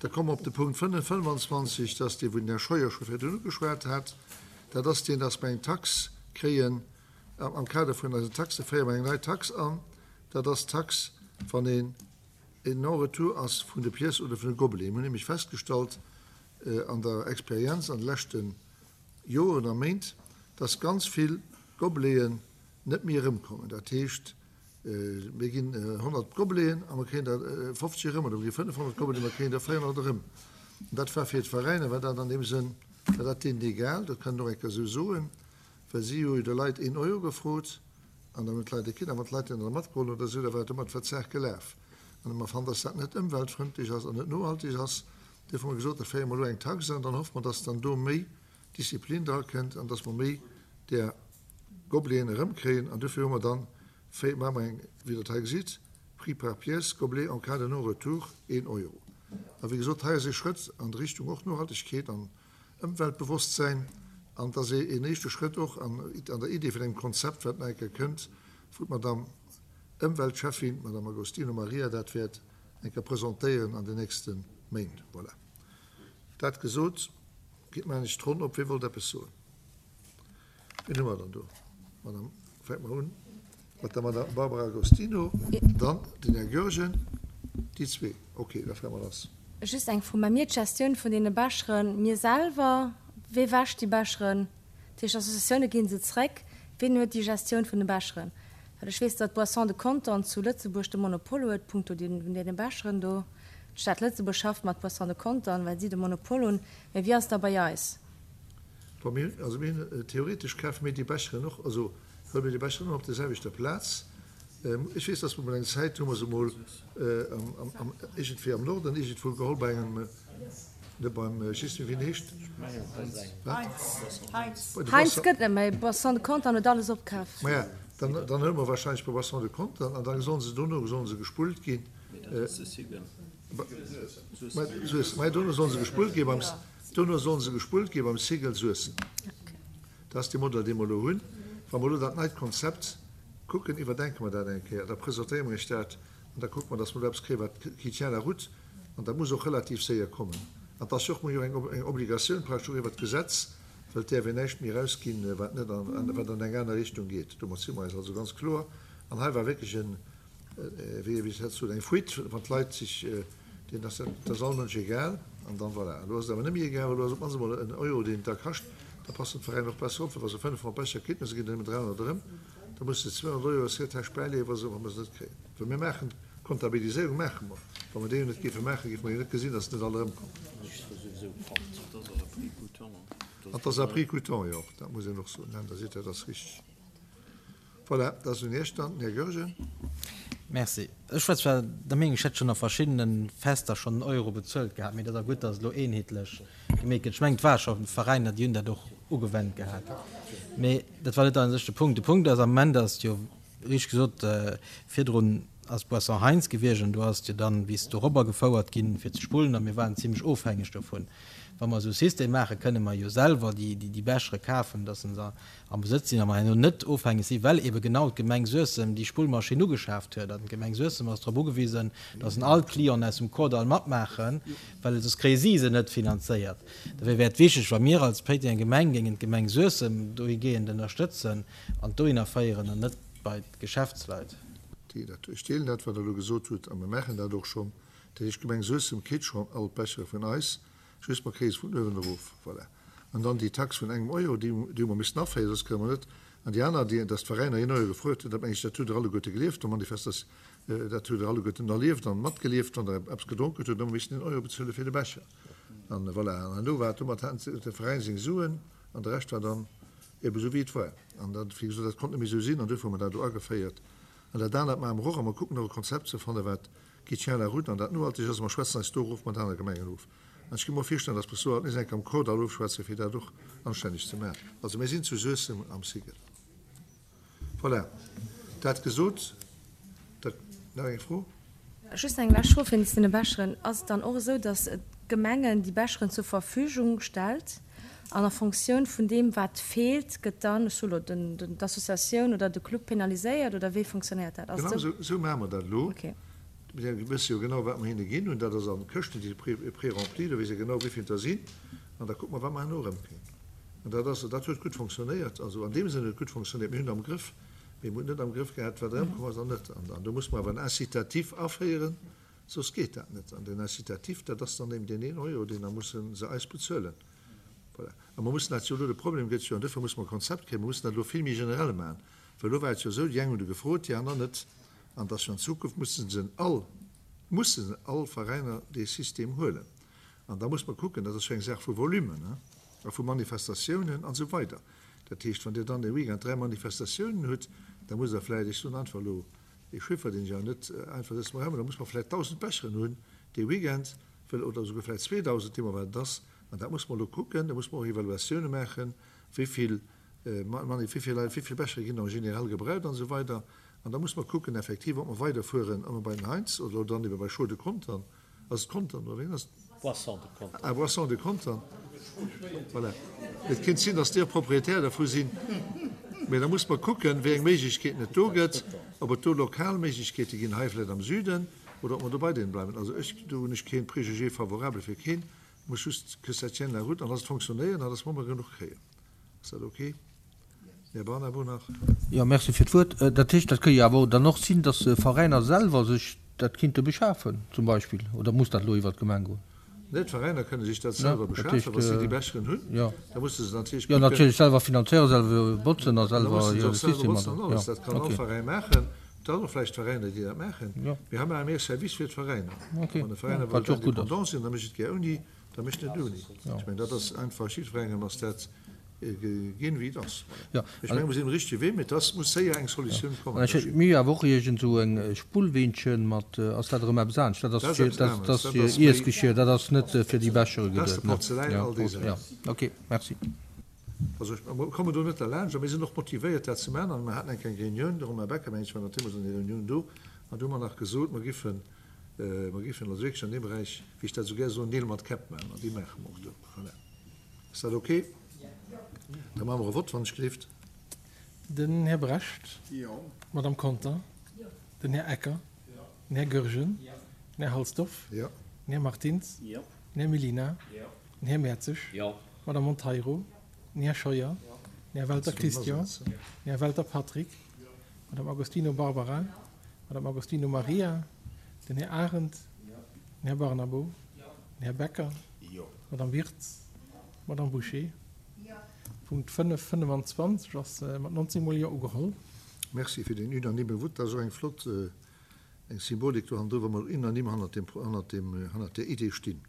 Da komme mer op de Punkt 25, dat ass dee wou den Här Scheuer scho virdrun ugeschwat hat. Dat ass deen, dass mer eng Tax kréien am Kader vun eisen Taxen, féiere mer eng nei Tax an. Dat ass d'Tax, wann een en Non-retour ass vun de Pièces oder vun de Gobeleten. Mir hunn nämlech festgestallt an der Experienz an de leschte Joren a Méint, dass ganz vill Gobeleten net méi erëmkommen. Dat heescht, mir ginn 100 Gobeleten a mer kréien der 50 erëm, oder mir gi 500 Gobeleten, mer kréien der 400 erëm. An dat war fir d'Veräiner war dat an deem Sënn, war dat deenen egal, dat kann een och eng Kéier esou soen, well si hu jo de Leit een Euro gefrot an dann hunn d'Leit e kritt. A wann d'Leit deen da matgeholl hunn oder esou, da war domat war d'Saach gelaf. An hu mer fonnt, dass dat net ëmweltfrëndlech ass an net nohalteg ass. Duerfir hu mer gesot, da féiere mer elo eng Tax an, dann hoffe mer, dass dann do méi Disziplin drakënnt an dass mer méi där Gobeleten erëmkréien. An dofir hu mer dann, féi, maache mer eng, wéi Der et hei gesitt, Prix par pièce, gobelet en cas de non-retour, een Euro. A wéi gesot, hei ass ee Schrëtt an d'Richtung och Nohaltegkeet an Ëmweltbewosstsäin. An et ass een éischte Schrëtt och an der Idee vun engem Konzept, wat nach eng Kéier kënnt, wou d'Madame Ëmweltschäffin, d'Madame Agostino Maria, dat wäert eng Kéier presentéieren an den nächste Méint. Voilà. Dat gesot, geet mer eng d'Ronn op. Wie wollt eppes soen? Wien hu mer dann do? Madame, fänke mer un mat der Madame Barbara Agostino, dann den Här Goergen, déi zwee. Okay, da fänke mer lass. Just eng Fro, Mä mir d'Gestioun vun deene Becheren, mir selwer, wee wäscht déi Becheren? Dat heescht, Associatioune ginn se zréck. Wien huet déi Gestioun vun de Becheren? Well ech weess, datt Boissons de Contern zu Lëtzebuerg de Monopol huet punkto deene Becheren do. D'Stad Lëtzebuerg schafft mat Boissons de Contern, well si de Monopol hunn. Mä wéi ass et da bei eis? Wa mir, also mir hunn, theoretesch kafe mir déi Becheren och, also huele mir déi Becheren och op der selwechter Plaz. Ech weess, dass mer mol eng Zäit hu mer se mol am, iergendwéi am Norden iergendwou geholl bei engem, net beim, ech weess net méi wéi en heescht. Wat? Bei de Heinz gëtt net méi, Boisson de Contern huet alles opkaf. Maja, dann, dann huele mer wahrscheinlech bei Boisson de Contern an da sollen se dono sollen se gespullt ginn. Mee dat ass de Sigel. Suessem. Maja, dono sollen se gespullt gi beim. Dono sollen se gespullt gi beim Sigel Suessem. Dat ass dee Modell, dee mer elo hunn. Wa mer elo dat neit Konzept kucken, iwwerdenke mer dat eng Kéier, da presentéiere mer Iech dat an da kucke mer, datt mer do eppes kréien, wat qui tient la route. An dat muss och relativ séier kommen. An et ass jo och, mer hu jo eng Obligatioun praktesch och iwwert d'Gesetz, well et däerf een näischt méi erausginn, wat net an, wat an eng aner Richtung geet. Domat si mer eis also ganz kloer. An hei war wierklech en, wéi ech dat soen, eng Fuite, wann d'Leit sech deen ass, dat ass all Mënsch egal an dann voilà. Elo ass et awer net méi egal, well elo ass op d'mannst emol en Euro, deen et da kascht, da passen d'Veräiner och besser op, well wa se 500 Becher kritt, mä se ginn der nëmmen 300 erëm, da musse se 200 Euro aus hirer Täsch bäileeën, wa se wa mer se net kréien. Well mir maachen, d'Kontabiliséierung maache mer, wa mer déi jo net géife maachen, géife mer jo net gesinn, datt net all erëmkommen. An et ass à prix coûtant jo och, dat muss een och soen, da seet Der, dat ass richteg. Voilà, dat ass un Iech dann, den Här Goergen. Merci. Ech war zwar der Meenung, ech hätt schonn a verschiddene Fester schonn en Euro bezuelt gehat, mee dat ass gutt, datt et elo eenheetlech gemeet gëtt. Ech mengen, et war scho Veräiner, déi hunn dat och ugewennt gehat. Mee dat war net a sech de Punkt. De Punkt ass, am Moment ass et jo, richteg gesot, virdrun ass Boisson Heintz gewiescht an do ass et jo dann bis dorobber gefouert ginn, fir ze spullen a mir waren zimlech ofhängeg dovun. Wa mer esou e System maachen, kënne mer jo selwer déi Bechere kafen, datt se am Besëtz sinn a mer herno net ofhängeg sinn, well ebe genau d'Gemeng Suessem déi Spullmaschinn ugeschaaft huet. An d'Gemeng Suessem ass drop ugewisen, datt en all d'Clienten aus dem Kordall matmaachen, well soss kréie si se net finanzéiert. Dofir wär et wichteg, wa mir als Péitenger Gemeng géingen d'Gemeng Suessem dohigehend ënnerstëtzen an dohinner féieren an net bei d'Geschäftsleit. Ech deelen dat, wat Der elo gesot hutt, a mir maachen dat och schonn. Dat heescht, d'Gemeng Suessem kritt schonn all d'Bechere vun eis. Just mer kréie se vun uewen erof. Voilà. An dann déi Tax vun engem Euro, déi déi hu mer missen aféieren, soss kréie mer net. An déi aner, déi, dass d'Veräiner een Euro gefruet hunn, dat meng ech, dat hutt Der alleguerte gelieft, do Manifestas-, dat hutt Der alleguerten erlieft an matgelieft, wann Der eppes gedronk hutt, hutt Der ëmmer missen een Euro bezuele fir de Becher. An voilà. An herno war et, domat haten de Veräin seng Suen an de Rescht war dann ebe sou wéi et war. An dat, wéi gesot, dat konnt net méi esou sinn an duerfir hu mer dat do ageféiert. An dat anert maache mer och a mer kucken och e Konzept ze fannen, wat qui tient la route an dat nohalteg ass. Mer schwätzen eis do och mat anere Gemengen of. An ech gi mer och virstellen, dass mer s do alt nees eng Kéier am Kordall ofschwätzen, fir dat och anstänneg ze maachen. Also mir sinn zu Suessem am Sigel. Voilà, dat gesot. Dat, nach eng Fro? Just eng lescht Fro wéinst deene Becheren. Ass et dann och esou, dass d'Gemengen déi Becheren zur Verfügung stellt an a Fonctioun vun deem, wat feelt, gëtt dann, ech soe lo, den, d'Associatioun oder de Club penaliséiert oder wéi fonctionnéiert dat? Ass et esou? Genau esou maache mer dat elo. Mir wësse jo genau, wat mer hinne ginn hunn. Dat ass an Këschten, déi si prérempli, do weess ee genau, wéi vill der sinn. An da kucke mer, wat mer herno erëmkréien. An dat ass, dat huet gutt fonctionnéiert. Also an deem Sënn huet et gutt fonctionnéiert. Mir hunn et am Grëff, mee mir hunn et net am Grëff gehat, wat erëmkomm ass an net. An do muss mer awer en Incitatif aféieren, soss geet dat net. An deen Incitatif, dat ass dann eben deen een Euro, deen da musse se eis bezuelen. Voilà. A mer mussen dat jo elo, de Problem gëtt jo, an duerfir musse mer e Konzept kréien, mer mussen dat elo vill méi generell maachen, well elo war et jo esou, déi eng hunn du gefrot, déi aner net. An dass jo an Zukunft musse se all, musse all Veräiner dee System huelen. An da muss mer kucken, dat ass jo eng Saach vu Volumen, hein, a vu Manifestatiounen an esou weider. Dat heescht, wann Dir dann e Weekend 3 Manifestatiounen hutt, da musst Der vläicht, ech soen einfach elo ee Chiffer, deen ech awer net einfach sou am Raum hunn, da muss mer vläicht 1.000 Becheren hunn dee Weekend, well, oder esouguer vläicht 2.000, deemno wat et ass. An dat muss mer elo kucken, da muss mer och Evaluatioune maachen, wéi vill Mani, wéi vill Leit, wéi vill Bechere ginn en général gebraucht an esou weider. An da muss mer kucken effektiv, ob mer weiderfueren, ob mer bei den Heinz oder dann ebe bei Chaux de Contern, ass et Contern oder wéi ass et? Boisson de Contern. Ah, Boisson de Contern, voilà. Et kéint sinn, datt déi och Propriétaire dervu sinn. Mä da muss mer kucken, wéi eng Méiglechkeeten et do gëtt, ob et do lokal Méiglechkeete ginn, hei vläicht am Süden, oder ob mer do bei deenen bleiwen. Also ech, do hunn ech kee Préjugé favorable fir keen. Et muss just que ça tienne la route an dass et fonctionnéiert an dass mer ëmmer genuch kréien. Ass dat ok? Här Barnabo nach. Jo, Merci fir d'Wuert. Dat heescht, dat ka jo awer dann och sinn, dass Veräiner selwer sech dat kinnte beschafen zum Beispill, oder muss dat elo iwwert d'Gemeng goen? Nee, d'Veräiner kënne sech dat selwer beschafen, wa si déi Becheren hunn. Da musse se natierlech kucken. Jo, natierlech selwer finanzéieren, selwer botzen a selwer hire System. Da musse se och selwer botzen an alles. Dat kann all Veräin maachen. Et ass och vläicht Veräiner, déi dat maachen. Mee hei maache mir e Service fir d'Veräiner. Wann e Veräiner wëllt indépendant sinn, da mécht et gär ouni, da mécht en et ouni. Ech mengen, dat ass einfach, jiddwerengem ass dat ginn, wéi et ass. Ech mengen, mir sinn um richtege Wee, mee et ass, muss séier eng Solutioun kommen. Ech hätt mir awer och iergend esou eng Spullweenchen mat, ass dat erëm eppes anescht? Dat ass fir, dat ass fir Iessgeschir, dat ass net fir déi Bechere geduet, ne? Dat ass de Porzeläin, all déi Saachen. Ok, merci. Also ech kommen do net derlaanscht a mir sinn och motivéiert dat ze maachen an mer haten eng kleng Reunioun, de Romain Becker mengen ech war nach deemools an där Reunioun do an do hu mer nach gesot, mer giffen, mer giffen also wierklech an deem Beräich, wéi ech dat esou gär soen, Neel mat Käpp maachen an déi maache mer och do. Voilà. Ass dat ok? Da maache mer e Vott, wann ech gleeft. Den Här Brecht. Jo. D'Madame Conter. Jo. Den Här Ecker. Jo. Den Här Goergen. Jo. Den Här Halsdorf. Jo. Den Här Martins. Jo. Den Här Mellina. Jo. Den Här Mertzig. Jo. D'Madame Monteiro. Den Här Scheuer. Jo. Den Här Welter Christian. Jo. Den Här Welter Patrick. Jo. D'Madame Agostino Barbara. D'Madame Agostino Maria. Den Här Arendt. Jo. Den Här Barnabo. Jo. Den Här Becker. Jo. D'Madame Wirtz. D'Madame Bouché. Jo. Punkt 5, 25 ass mat 19 mol Jo ugeholl. Merci fir deen unanime Vote. Dat ass och eng flott, eng Symbolik do hannendru, wa mer unanim hannert deem, hannert deem, hannert där Idee stinn.